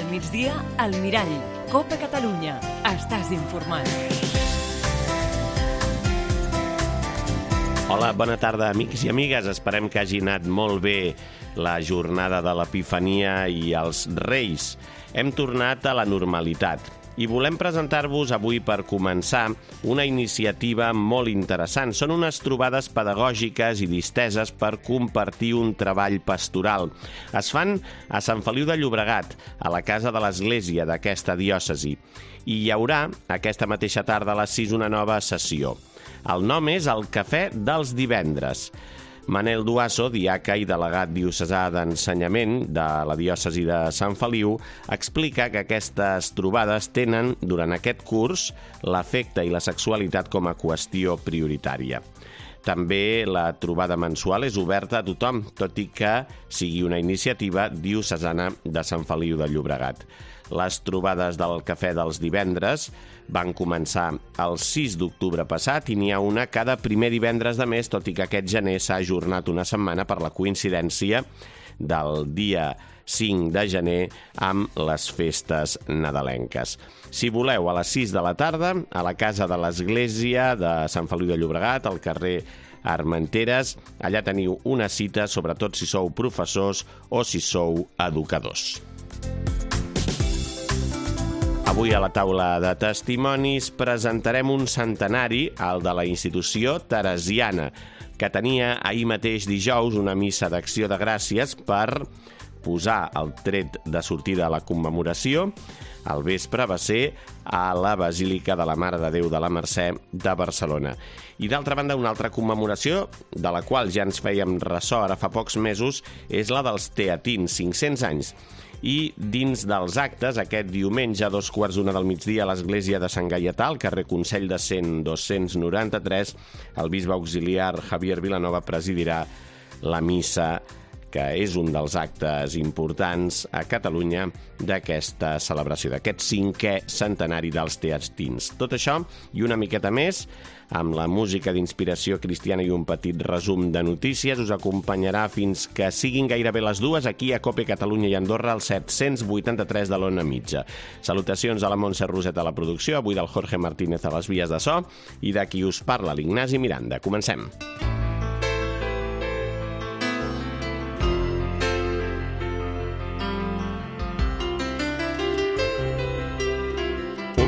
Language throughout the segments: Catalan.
migdia, al Mirall. Copa Catalunya. Estàs informat. Hola, bona tarda, amics i amigues. Esperem que hagi anat molt bé la jornada de l'Epifania i els Reis. Hem tornat a la normalitat i volem presentar-vos avui, per començar, una iniciativa molt interessant. Són unes trobades pedagògiques i disteses per compartir un treball pastoral. Es fan a Sant Feliu de Llobregat, a la casa de l'església d'aquesta diòcesi. I hi haurà, aquesta mateixa tarda a les 6, una nova sessió. El nom és el Cafè dels Divendres. Manel Duaso, diaca i delegat diocesà d'ensenyament de la diòcesi de Sant Feliu, explica que aquestes trobades tenen, durant aquest curs, l'afecte i la sexualitat com a qüestió prioritària. També la trobada mensual és oberta a tothom, tot i que sigui una iniciativa diocesana de Sant Feliu de Llobregat. Les trobades del Cafè dels Divendres van començar el 6 d'octubre passat i n'hi ha una cada primer divendres de mes, tot i que aquest gener s'ha ajornat una setmana per la coincidència del dia 5 de gener amb les festes nadalenques. Si voleu, a les 6 de la tarda, a la casa de l'església de Sant Feliu de Llobregat, al carrer Armenteres, allà teniu una cita, sobretot si sou professors o si sou educadors. Avui a la taula de testimonis presentarem un centenari, el de la institució teresiana, que tenia ahir mateix dijous una missa d'acció de gràcies per posar el tret de sortida a la commemoració. Al vespre va ser a la Basílica de la Mare de Déu de la Mercè de Barcelona. I d'altra banda, una altra commemoració, de la qual ja ens fèiem ressò ara fa pocs mesos, és la dels teatins, 500 anys. I dins dels actes, aquest diumenge a 2:15 del migdia a l'església de Sant Gaietà, al carrer Consell de Cent 293, el bisbe auxiliar Javier Vilanova presidirà la missa, que és un dels actes importants a Catalunya d'aquesta celebració, d'aquest 5è centenari dels teatins. Tot això i una miqueta més, amb la música d'inspiració cristiana i un petit resum de notícies, us acompanyarà fins que siguin gairebé les 2 aquí a Copa Catalunya i Andorra, al 783 de l'Ona Mitja. Salutacions a la Montse Roset a la producció, avui del Jorge Martínez a les vies de so, i de qui us parla, l'Ignasi Miranda. Comencem.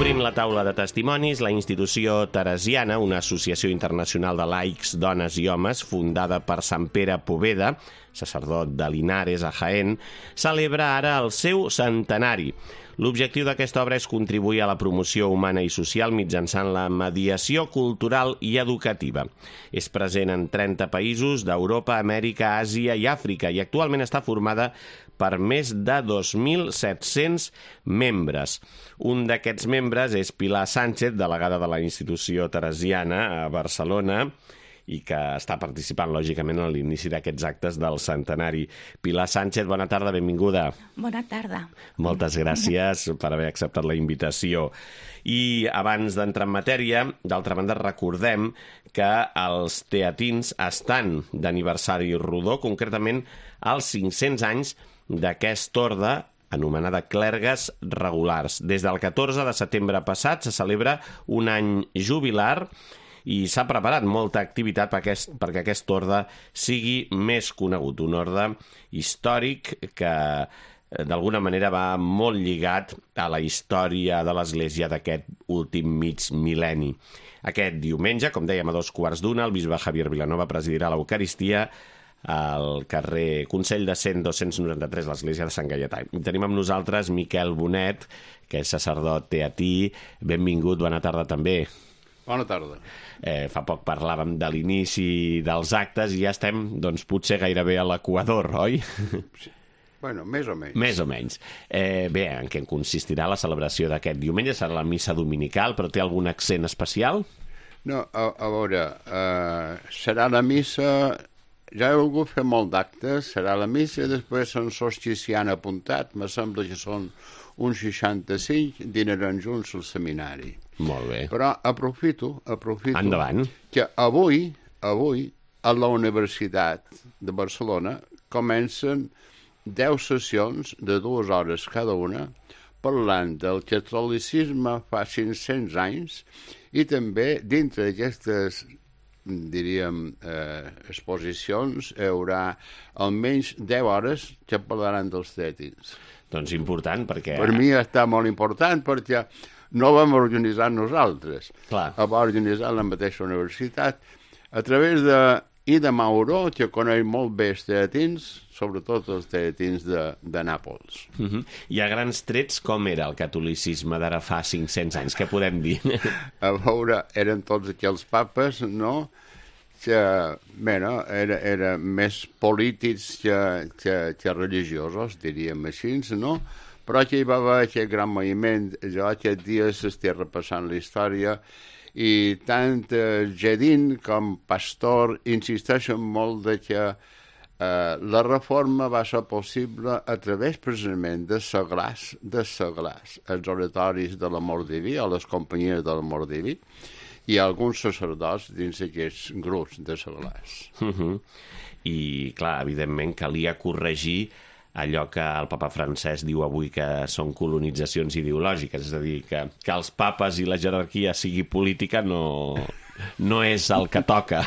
Obrint la taula de testimonis, la institució teresiana, una associació internacional de laics, dones i homes, fundada per Sant Pere Poveda, sacerdot de Linares, a Jaén, celebra ara el seu centenari. L'objectiu d'aquesta obra és contribuir a la promoció humana i social mitjançant la mediació cultural i educativa. És present en 30 països d'Europa, Amèrica, Àsia i Àfrica i actualment està formada per més de 2.700 membres. Un d'aquests membres és Pilar Sánchez, delegada de la institució teresiana a Barcelona, i que està participant, lògicament, a l'inici d'aquests actes del centenari. Pilar Sánchez, bona tarda, benvinguda. Bona tarda. Moltes gràcies per haver acceptat la invitació. I abans d'entrar en matèria, d'altra banda, recordem que els teatins estan d'aniversari rodó, concretament als 500 anys d'aquest orde anomenada Clergues Regulars. Des del 14 de setembre passat se celebra un any jubilar i s'ha preparat molta activitat perquè aquest orde sigui més conegut. Un orde històric que d'alguna manera va molt lligat a la història de l'Església d'aquest últim mig mil·lenni. Aquest diumenge, com dèiem, a 2:15, el bisbe Javier Vilanova presidirà l'Eucaristia al carrer Consell de Cent 293, l'església de Sant Gaietà. I tenim amb nosaltres Miquel Bonet, que és sacerdot teatí. Benvingut, bona tarda també. Bona tarda. Fa poc parlàvem de l'inici dels actes i ja estem, doncs, potser gairebé a l'equador, oi? Sí. Bueno, més o menys. Més o menys. Bé, en què consistirà la celebració d'aquest diumenge? Serà la missa dominical, però té algun accent especial? No, a veure, serà la missa... Ja he volgut fer molt d'actes, serà la missa, després són solstici han apuntat, me sembla que són uns 65, dinaran junts al seminari. Molt bé. Però aprofito Endavant. Que avui a la Universitat de Barcelona comencen 10 sessions de 2 hores cada una, parlant del catolicisme fa 500 anys i també dintre d'aquestes, diríem, exposicions hi haurà almenys 10 hores que parlaran dels teatins. Doncs important, perquè... Per mi està molt important perquè no vam organitzar nosaltres. Clar. Ho va organitzar la mateixa universitat a través de Mauro, que coneix molt bé els teatins, sobretot els teatins de Nàpols. I a grans trets, com era el catolicisme d'ara fa 500 anys? Què podem dir? A veure, eren tots aquells papes, no?, que, bueno, eren més polítics que religiosos, diríem així, no? Però que hi va haver aquest gran moviment. Jo aquest dia s'estic repassant la història i tant Gedin com Pastor insisteixen molt de que la reforma va ser possible a través precisament de seglars, els oratoris de l'amor diví o les companyies de l'amor diví i alguns sacerdots dins d'aquests grups de seglars. I, clar, evidentment calia corregir allò que el papa Francesc diu avui que són colonitzacions ideològiques, és a dir, que els papes i la jerarquia sigui política no és el que toca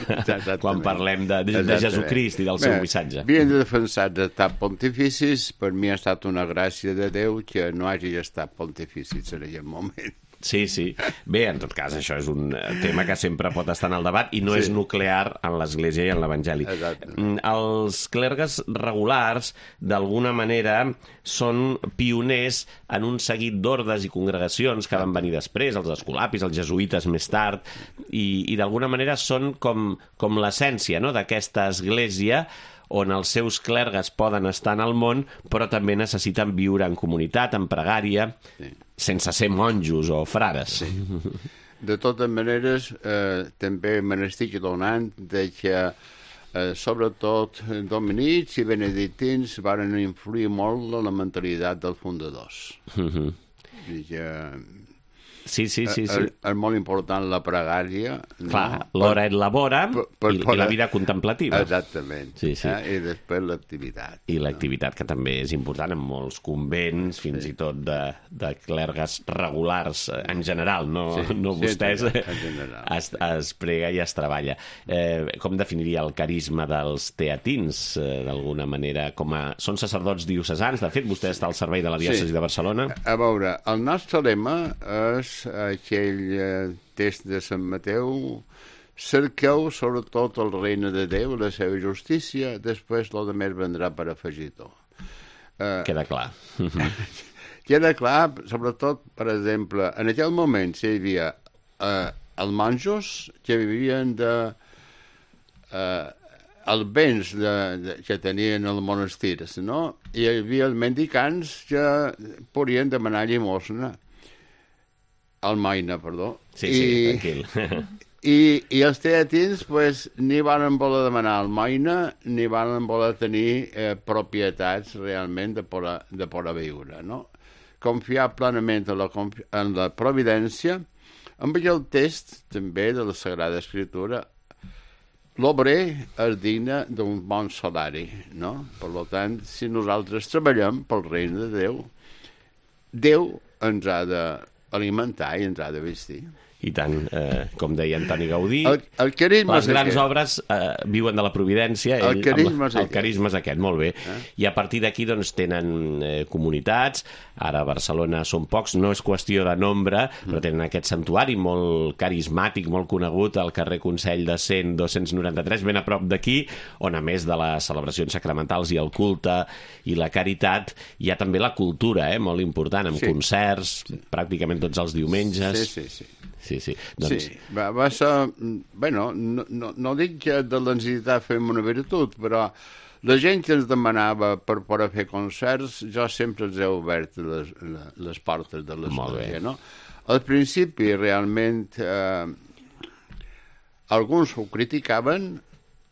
quan parlem de Jesucrist i del seu missatge. Havien de defensar d'estat pontificis, per mi ha estat una gràcia de Déu que no hagi estat pontificis en aquell moment. Sí, sí. Bé, en tot cas, això és un tema que sempre pot estar en el debat i no és nuclear en l'Església i en l'Evangeli. Els clergues regulars, d'alguna manera, són pioners en un seguit d'ordes i congregacions que van venir després, els escolapis, els jesuïtes més tard, i d'alguna manera són com l'essència, no?, d'aquesta església on els seus clergues poden estar en el món, però també necessiten viure en comunitat, en pregària, sense ser monjos o frares. De totes maneres, també me n'estic donant de que, sobretot, dominics i benedictins varen influir molt en la mentalitat dels fundadors. I que... Sí. És molt important la pregària. Clar, l'hora et labora i la vida contemplativa. Exactament. Sí. I després l'activitat. I l'activitat, que també és important en molts convents, fins i tot de clergues regulars en general, no vostès. En general. Es prega i es treballa. Com definiria el carisma dels teatins, d'alguna manera? Són sacerdots diocesans, de fet, vostè està al servei de la diòcesi de Barcelona. A veure, el nostre lema és aquell text de Sant Mateu: cerqueu sobretot el regne de Déu, la seva justícia, després el de més vendrà per afegir-ho. Queda clar. Queda clar, sobretot, per exemple, en aquell moment hi havia els monjos que vivien els béns que tenien els monestirs, no? I hi havia els mendicants que podien demanar llimosna. Almoina, perdó. Sí, tranquil. I els teatins, pues, ni van voler demanar almoina, ni van voler tenir propietats realment de poder viure, no? Confiar plenament en la providència, amb aquell text, també, de la Sagrada Escritura: l'obrer és digne d'un bon salari, no? Per tant, si nosaltres treballem pel regne de Déu, Déu ens ha d'alimentar i ens ha de vestir. I tant, com deia Antoni Gaudí, les grans obres viuen de la providència. El carisma és aquest, molt bé. I a partir d'aquí doncs, tenen comunitats. Ara a Barcelona són pocs, no és qüestió de nombre, però tenen aquest santuari molt carismàtic, molt conegut, al carrer Consell de 293, ben a prop d'aquí, on a més de les celebracions sacramentals i el culte i la caritat, hi ha també la cultura, molt important, amb concerts, pràcticament tots els diumenges. Sí. Doncs... Sí, va ser... Bueno, no dic que de la necessitat fem una virtut, però la gent que ens demanava per poder fer concerts, jo sempre els he obert les portes de l'església, no? Al principi, realment, alguns ho criticaven,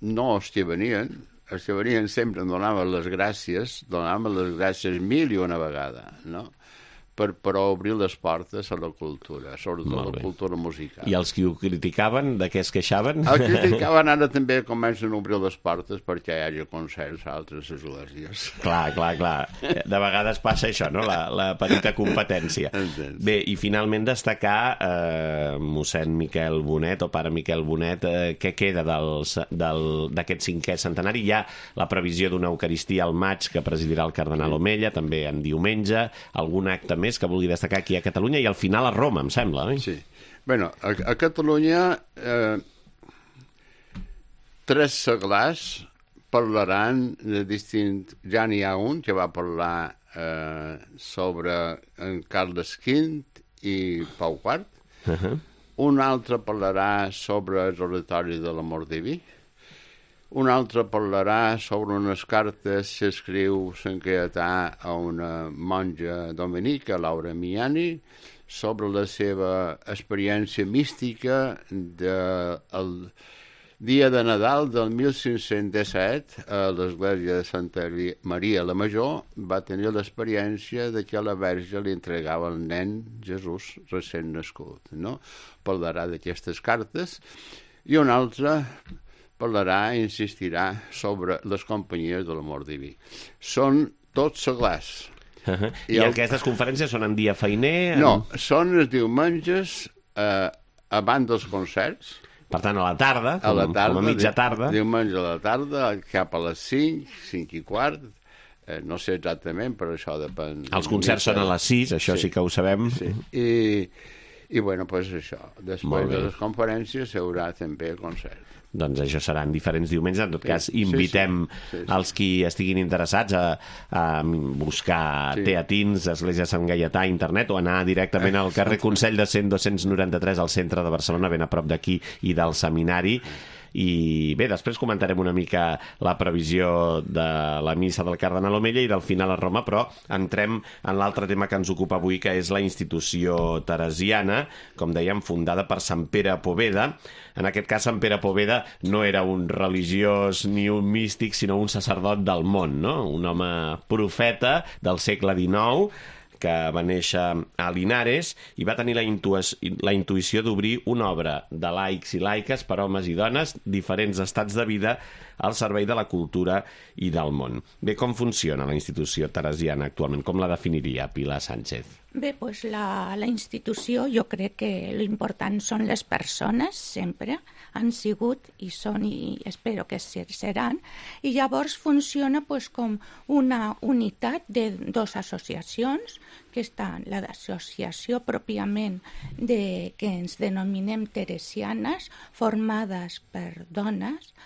no els que venien sempre em donaven les gràcies 1000 i una vegada, no? per obrir les portes a la cultura, sobretot la cultura musical. I els que ho criticaven, de què es queixaven? Els que criticaven ara també comencen a obrir les portes perquè hi hagi concerts a altres esglésies. Clar. De vegades passa això, no? La petita competència. Bé, i finalment destacar mossèn Miquel Bonet, o pare Miquel Bonet, què queda d'aquest 5è centenari? Hi ha la previsió d'una Eucaristia al maig que presidirà el cardenal Omella, també en diumenge, algun acte més que vulgui destacar aquí a Catalunya i al final a Roma, em sembla, oi? Sí. Bueno, a Catalunya 3 seglars parlaran de distint... Ja n'hi ha un que va parlar sobre en Carles V i Pau IV. Un altre parlarà sobre els oratoris de l'amor diví. Un altre parlarà sobre unes cartes que escriu Sant Caietà a una monja dominica, Laura Miani, sobre la seva experiència mística del dia de Nadal del 1517 a l'església de Santa Maria la Major. Va tenir l'experiència de que la Verge li entregava el nen Jesús recent nascut, no? Parlarà d'aquestes cartes. I un altre parlarà i insistirà sobre les companyies de l'amor diví. Són tots seglars. I aquestes conferències són en dia feiner? No, són els diumenges abans dels concerts. Per tant, a la tarda, com a mitja tarda. Diumenge a la tarda, cap a les 5, 5 i quart. No sé exactament, però això depèn. Els concerts són a les 6, això sí que ho sabem. Sí. I bueno, doncs això. Després de les conferències hi haurà també concert. Doncs això seran diferents diumenges. En tot cas, invitem els qui estiguin interessats a buscar teatins, Església Sant Gaietà, internet, o anar directament al carrer Consell de 100-293 al centre de Barcelona, ben a prop d'aquí i del seminari. I bé, després comentarem una mica la previsió de la missa del cardenal Omella i del final a Roma, però entrem en l'altre tema que ens ocupa avui, que és la institució teresiana, com dèiem, fundada per Sant Pere Poveda. En aquest cas, Sant Pere Poveda no era un religiós ni un místic, sinó un sacerdot del món, no? Un home profeta del segle XIX, que va néixer a Linares i va tenir la intuïció d'obrir una obra de laics i laiques per homes i dones, diferents estats de vida, al servei de la cultura i del món. Bé, com funciona la institució teresiana actualment? Com la definiria Pilar Sánchez? Bé, doncs la institució, jo crec que l'important són les persones, sempre han sigut i són, i espero que seran, i llavors funciona com una unitat de 2 associacions, que estan l'associació pròpiament que ens denominem teresianes, formada per dones,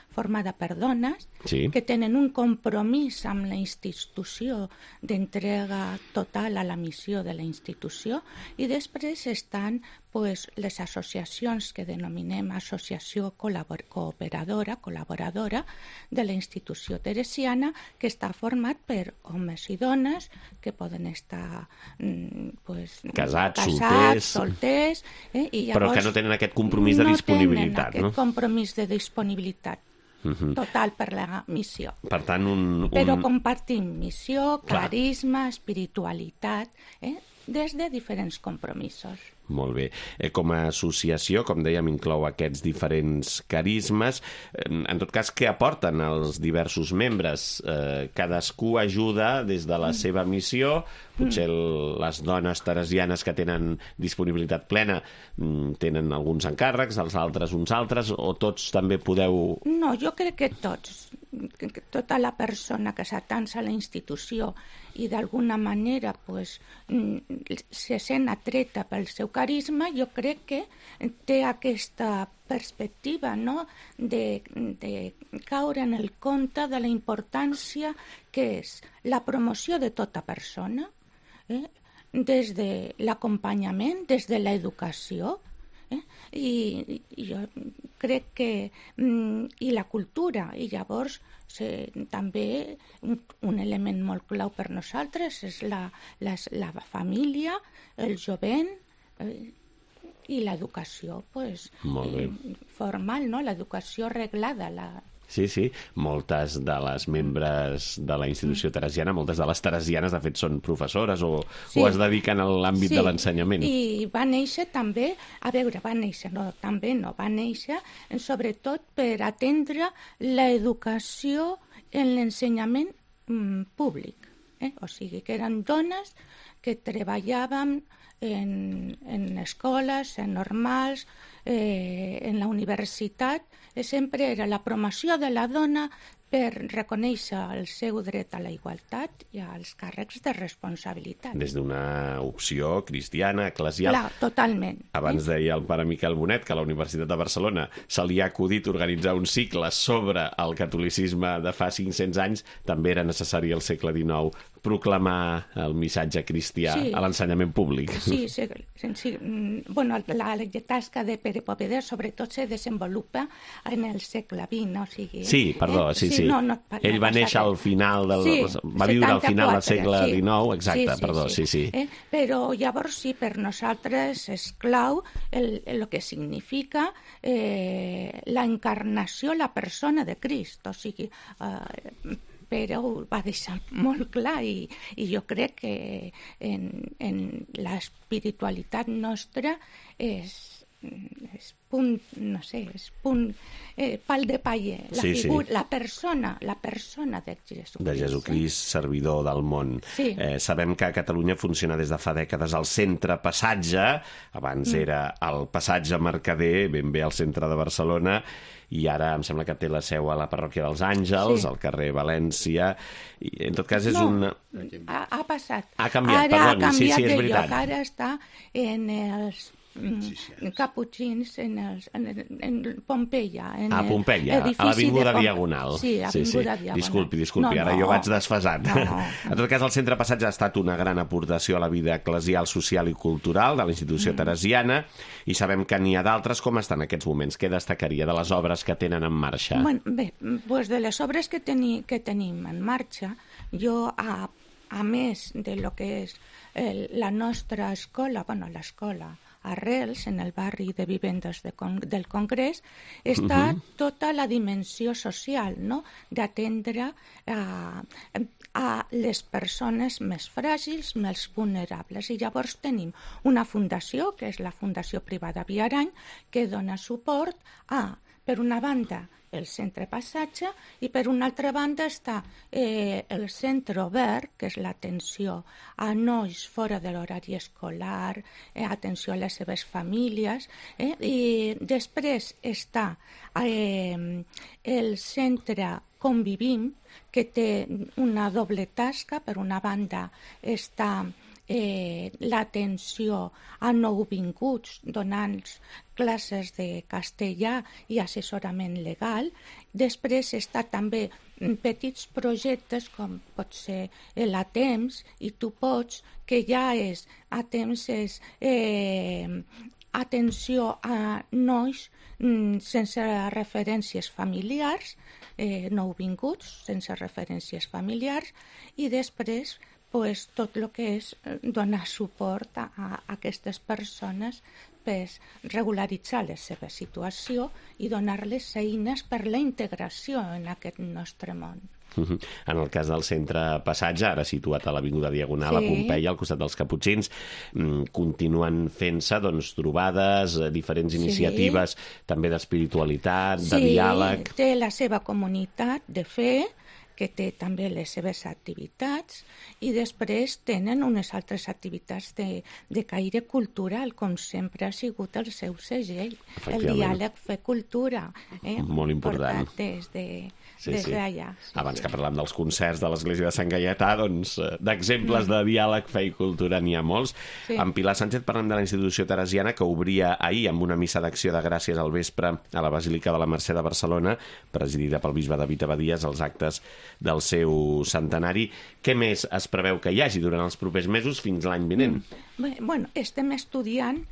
que tenen un compromís amb la institució d'entrega total a la missió de la institució, i després estan les associacions que denominem associació col·laboradora de la institució teresiana, que està format per homes i dones que poden estar casats, solters, i llavors, però que no tenen aquest compromís de disponibilitat. No tenen aquest compromís de disponibilitat total per la missió. Per tant, però compartim missió, carisma, espiritualitat, des de diferents compromisos. Molt bé. Com a associació, com dèiem, inclou aquests diferents carismes. En tot cas, què aporten els diversos membres? Cadascú ajuda des de la seva missió. Potser les dones teresianes que tenen disponibilitat plena tenen alguns encàrrecs, els altres uns altres, o tots també podeu... No, jo crec que tots. Tota la persona que s'atansa a la institució i d'alguna manera se sent atreta pel seu carisma, jo crec que té aquesta perspectiva, no?, de caure en el compte de la importància que és la promoció de tota persona, des de l'acompanyament, des de l'educació, i jo crec que i la cultura, i llavors també un element molt clau per nosaltres és la família, el jovent i l'educació formal, no? L'educació reglada, Sí, sí. Moltes de les membres de la institució teresiana, moltes de les teresianes, de fet, són professores o es dediquen a l'àmbit de l'ensenyament. I va néixer també, va néixer sobretot per atendre l'educació en l'ensenyament públic. O sigui, que eren dones que treballaven en escoles, en normals, en la universitat. Sempre era la promoció de la dona per reconèixer el seu dret a la igualtat i als càrrecs de responsabilitat. Des d'una opció cristiana, eclesial. Clar, totalment. Abans deia el pare Miquel Bonet que a la Universitat de Barcelona se li ha acudit organitzar un cicle sobre el catolicisme de fa 500 anys. També era necessari al segle XIX proclamar el missatge cristià a l'ensenyament públic. Sí. Bueno, la tasca de Pere Poveder sobretot se desenvolupa en el segle XX, o sigui... Sí, perdó, sí. Ell va néixer al final va viure al final del segle XIX, exacte, sí. Però llavors per nosaltres és clau el que significa la encarnació, la persona de Crist, o sigui... però ho va deixar molt clar i jo crec que en l'espiritualitat nostra és punt, no sé, és punt pal de paller, la persona de Jesucrist. De Jesucrist, servidor del món. Sí. Sabem que a Catalunya funciona des de fa dècades el centre Passatge, abans era el Passatge Mercader, ben bé al centre de Barcelona, i ara em sembla que té la seu a la parròquia dels Àngels, al carrer València, i en tot cas és ha passat. Ha canviat, perdoni, sí, és veritat. Ara està en els caputxins en Pompeia. A Pompeia, a l'Avinguda Diagonal. Sí, Avinguda Diagonal. Disculpi, ara jo vaig desfasat. En tot cas, el Centre Passatge ha estat una gran aportació a la vida eclesial, social i cultural de la institució teresiana, i sabem que n'hi ha d'altres. Com estan en aquests moments? Què destacaria de les obres que tenen en marxa? Bé, de les obres que tenim en marxa, jo, a més de lo que és la nostra escola, l'escola Arrels, en el barri de vivendes del Congrés, està tota la dimensió social, no?, d'atendre a les persones més fràgils, més vulnerables. I llavors tenim una fundació, que és la Fundació Privada Viarany, que dona suport per una banda, el Centre Passatge, i per una altra banda està el Centre Obert, que és l'atenció a nois fora de l'horari escolar, atenció a les seves famílies, i després està el Centre Convivim, que té una doble tasca. Per una banda està l'atenció a nouvinguts, donant classes de castellà i assessorament legal. Després està també petits projectes com pot ser l'Atems i Tu Pots, que ja és atenció a nois sense referències familiars, nouvinguts sense referències familiars, i després tot el que és donar suport a aquestes persones per regularitzar la seva situació i donar-les eines per la integració en aquest nostre món. En el cas del Centre Passatge, ara situat a l'Avinguda Diagonal, a Pompeia, al costat dels Caputxins, continuen fent-se trobades, diferents iniciatives, també d'espiritualitat, de diàleg... Sí, té la seva comunitat de fe, que té també les seves activitats, i després tenen unes altres activitats de caire cultural, com sempre ha sigut el seu segell, el diàleg Fe Cultura. Molt important. Portat des d'allà. Abans que parlem dels concerts de l'Església de Sant Gaietà, d'exemples de diàleg, fe i cultura n'hi ha molts. En Pilar Sánchez parlem de la institució teresiana, que obria ahir amb una missa d'acció de gràcies al vespre a la Basílica de la Mercè de Barcelona, presidida pel bisbe David Abadies, els actes del seu centenari. Què més es preveu que hi hagi durant els propers mesos fins l'any vinent? Bueno, estem estudiant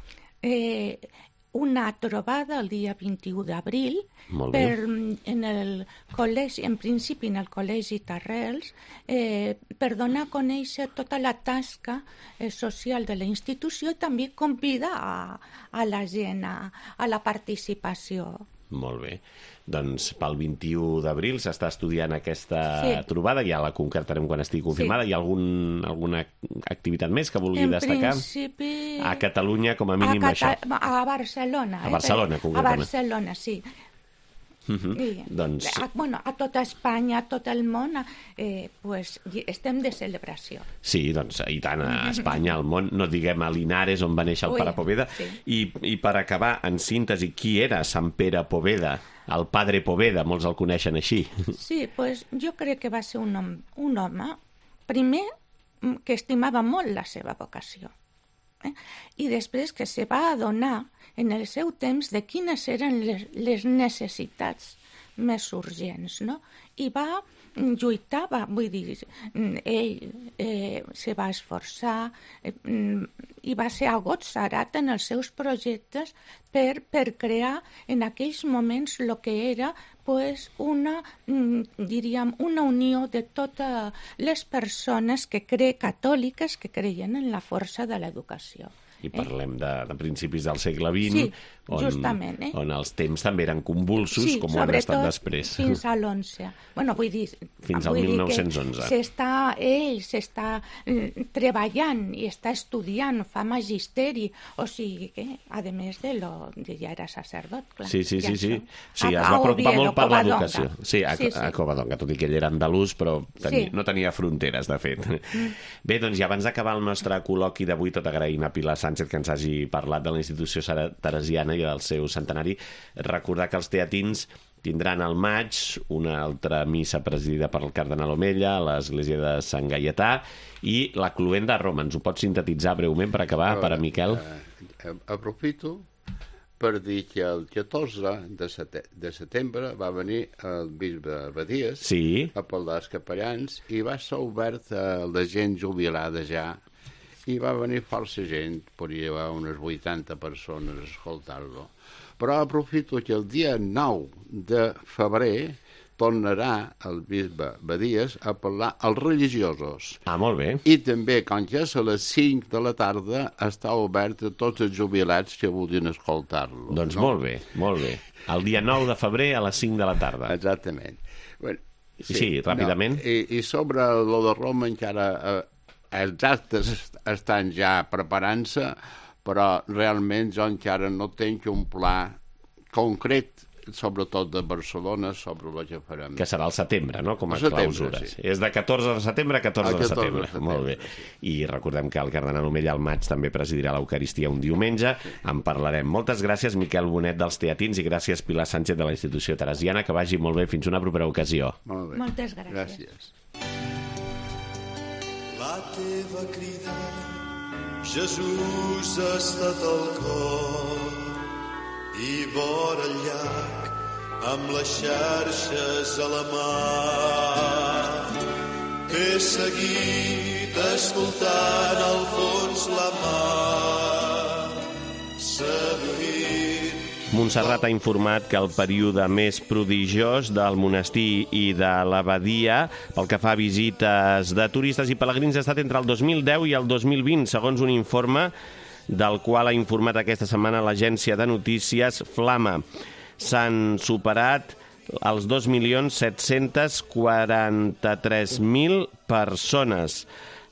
una trobada el dia 21 d'abril en el col·legi, en principi en el Col·legi Tarrels, per donar a conèixer tota la tasca social de la institució i també convidar a la gent a la participació. Molt bé. Doncs pel 21 d'abril s'està estudiant aquesta trobada, ja la concretarem quan estigui confirmada. Hi ha alguna activitat més que vulgui destacar? En principi... A Catalunya, com a mínim, això. A Barcelona. A Barcelona, concretament. A Barcelona, sí. Doncs... a tota Espanya, a tot el món, estem de celebració. Sí, doncs, i tant, a Espanya, al món, no diguem a Linares, on va néixer el pare Poveda. I per acabar, en síntesi, qui era Sant Pere Poveda? El padre Poveda, molts el coneixen així. Sí, jo crec que va ser un home, primer, que estimava molt la seva vocació. I després que se va adonar en el seu temps de quines eren les necessitats més urgents, no? I va lluitar, vull dir, ell se va esforçar i va ser agotzarat en els seus projectes per crear en aquells moments el que era una unió de totes les persones catòliques que creien en la força de l'educació. I parlem de principis del segle XX, on els temps també eren convulsos, com ho han estat després. Sí, fins a l'11. Vull dir... Fins al 1911. Ell s'està treballant i està estudiant, fa magisteri, o sigui que, a més ja era sacerdot, clar. Sí. O sigui, es va preocupar molt per l'educació. Sí, a Covadonga, tot i que ell era andalús, però no tenia fronteres, de fet. Bé, doncs, i abans d'acabar el nostre col·loqui d'avui, tot agraint a Pilar Sánchez que ens hagi parlat de la institució teresiana i del seu centenari, recordar que els teatins tindran al maig una altra missa presidida per el cardenal Omella a l'església de Sant Gaietà i la Cluenda a Roma. Ens ho pots sintetitzar breument per acabar, per a Miquel? Aprofito per dir que el 14 de setembre va venir el bisbe Badies a parlar als capellans i va ser obert a la gent jubilada ja. I va venir força gent, podria haver unes 80 persones a escoltar-lo. Però aprofito que el dia 9 de febrer tornarà el bisbe Badies a parlar als religiosos. Ah, molt bé. I també, com que és a les 5 de la tarda, està obert a tots els jubilats que vulguin escoltar-lo. Doncs molt bé, molt bé. El dia 9 de febrer a les 5 de la tarda. Exactament. Sí, ràpidament. I sobre lo de Roma encara... Els actes estan ja preparant-se, però realment jo encara no tinc un pla concret, sobretot de Barcelona, sobre el que farem. Que serà al setembre, no?, com a clausures. És de 14 de setembre a 14 de setembre. Molt bé. I recordem que el cardenal Omella al maig també presidirà l'Eucaristia un diumenge. En parlarem. Moltes gràcies, Miquel Bonet, dels Teatins, i gràcies, Pilar Sánchez, de la institució teresiana. Que vagi molt bé. Fins una propera ocasió. Molt bé. Moltes gràcies. La teva crida, Jesús, ha estat al cor i vora el llac amb les xarxes a la mà. T'he seguit escoltant al fons la mar, seduint. Montserrat ha informat que el període més prodigiós del monestir i de l'abadia pel que fa a visites de turistes i pelegrins ha estat entre el 2010 i el 2020, segons un informe del qual ha informat aquesta setmana l'agència de notícies Flama. S'han superat els 2.743.000 persones.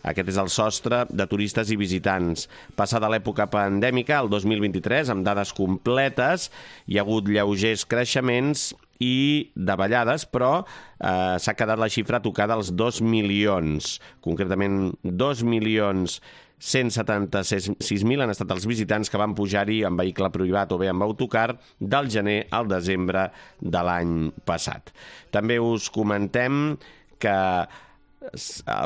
Aquest és el sostre de turistes i visitants. Passada l'època pandèmica, el 2023, amb dades completes, hi ha hagut lleugers creixements i davallades, però s'ha quedat la xifra tocada als 2 milions. Concretament, 2.176.000 han estat els visitants que van pujar-hi en vehicle privat o bé amb autocar del gener al desembre de l'any passat. També us comentem que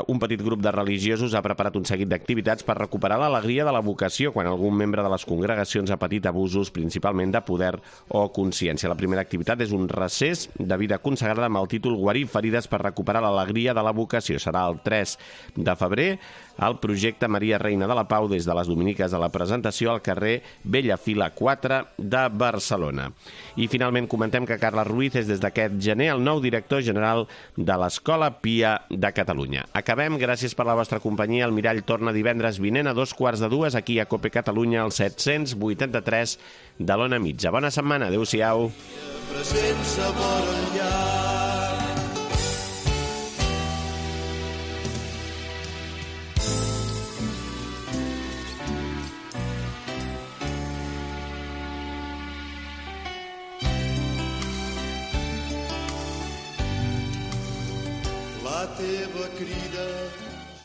un petit grup de religiosos ha preparat un seguit d'activitats per recuperar l'alegria de la vocació quan algun membre de les congregacions ha patit abusos, principalment de poder o consciència. La primera activitat és un recés de vida consagrada amb el títol Guarir ferides per recuperar l'alegria de la vocació. Serà el 3 de febrer al projecte Maria Reina de la Pau des de les Dominiques de la Presentació al carrer Bellafila 4 de Barcelona. I finalment comentem que Carles Ruiz és des d'aquest gener el nou director general de l'Escola Pia de Catalunya. Catalunya. Acabem, gràcies per la vostra companyia. El Mirall torna divendres vinent a 2:15 aquí a Cope Catalunya, al 783 de l'Ona Mitja. Bona setmana, adéu-siau. Present sabor al llac. La teva crida